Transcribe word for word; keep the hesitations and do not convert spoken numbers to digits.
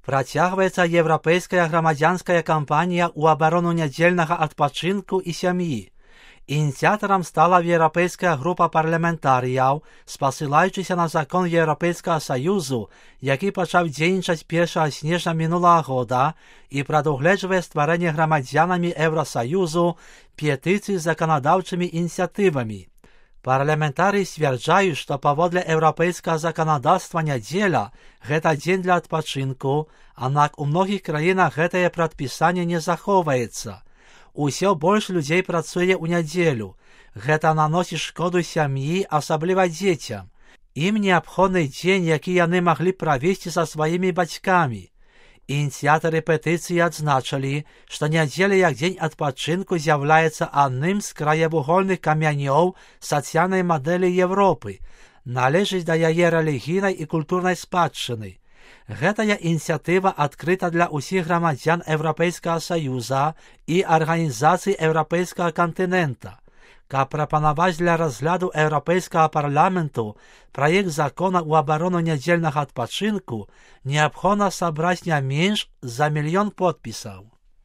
Працягваецца еўрапейская грамадзянская кампанія ў абарону нядзельнага адпачынку і сям'і. Ініцыятарам стала еўрапейская група парламентарыяў, спасылаючыся на закон Еўрапейскага Саюзу, які пачаў дзейнічаць першага снежня мінулага года і прадугледжвае стварэнне грамадзянамі Еўрасаюзу петыцый з заканадаўчымі ініцыятывамі. Парламентарыі сцвярджаюць, што паводле еўрапейскага заканадаўства нядзеля гэта дзень для адпачынку, аднак у многіх краінах гэтае прадпісанне не захоўваецца. Усё больш людзей працуе ў нядзелю. Гэта наносіць шкоду сям'і, асабліва дзецям. Ім неабходны дзень, які яны маглі правесці са сваімі бацькамі. Ініцыятары петыцыі адзначылі, што нядзеля як дзень адпачынку з'яўляецца адным з краевугольных камянёў сацыяльнай мадэлі Европы, належыць да яе рэлігійнай і культурнай спадчыны. Гэтая ініцыятыва адкрыта для ўсіх грамадзян Еўрапейскага Саюза і арганізацый еўрапейскага кантынента. Каб прапанаваць для разгляду Еўрапейскага парламенту праект закона ў абарону нядзельнага адпачынку, неабходна сабраць не менш за мільён подпісаў.